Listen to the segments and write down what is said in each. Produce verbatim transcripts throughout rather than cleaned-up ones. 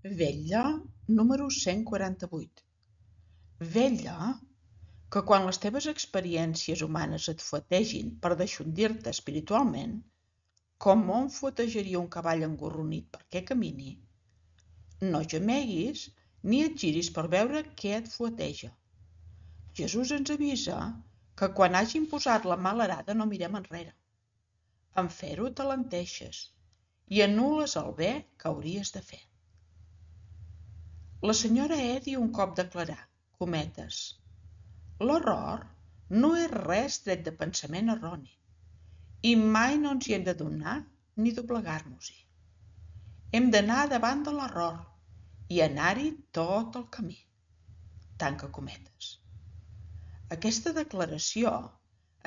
Vetlla número cent quaranta-vuit. Vetlla que quan les teves experiències humanes et fuetegin per deixondir-te espiritualment, com on fuetejaria un cavall engorronit perquè camini, no gemeguis ni et giris per veure què et fueteja. Jesús ens avisa que quan hagin posat la mala arada no mirem enrere. En fer-ho t'alenteixes i anul·les el bé que hauries de fer. La senyora Eddy un cop declarà, cometes, l'error no és res tret de pensament erroni i mai no ens hi hem de donar ni doblegar-nos-hi. Hem d'anar davant de l'error i anar-hi tot el camí. Tanca cometes. Aquesta declaració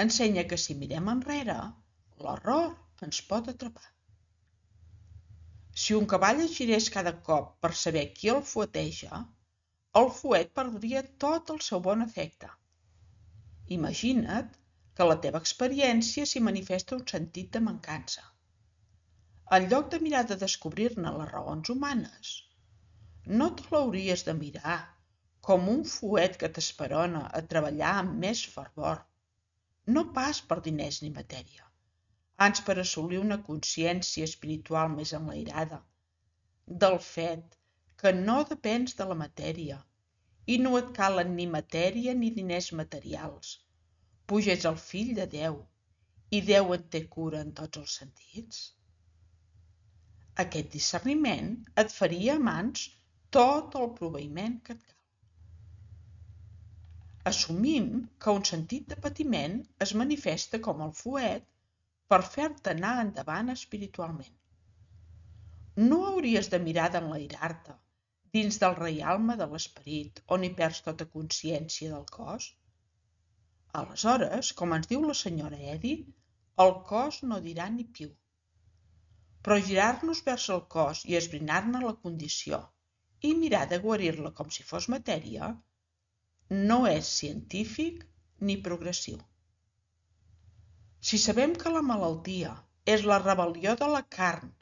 ensenya que si mirem enrere, l'error ens pot atrapar. Si un cavall es girés cada cop per saber qui el fueteja, el fuet perdria tot el seu bon efecte. Imagina't que la teva experiència s'hi manifesta un sentit de mancança. En lloc de mirar de descobrir-ne les raons humanes, no te l'hauries de mirar com un fuet que t'esperona a treballar amb més fervor, no pas per diners ni matèria, ans per assolir una consciència espiritual més enlairada, del fet que no depens de la matèria i no et calen ni matèria ni diners materials, puix ets el fill de Déu i Déu en té cura en tots els sentits. Aquest discerniment et faria a mans tot el proveïment que et cal. Assumim que un sentit de patiment es manifesta com el fuet per fer-te anar endavant espiritualment. No hauries de mirar d'enlairar-te dins del reialme de l'esperit on hi perds tota consciència del cos? Aleshores, com ens diu la senyora Eddy, el cos no dirà ni piu. Però girar-nos vers el cos i esbrinar-ne la condició i mirar de guarir-la com si fos matèria no és científic ni progressiu. Si sabem que la malaltia és la rebel·lió de la carn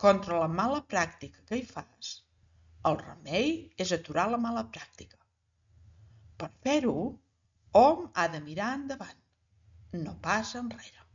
contra la mala pràctica que hi fas, el remei és aturar la mala pràctica. Per fer-ho, hom ha de mirar endavant, no pas enrere.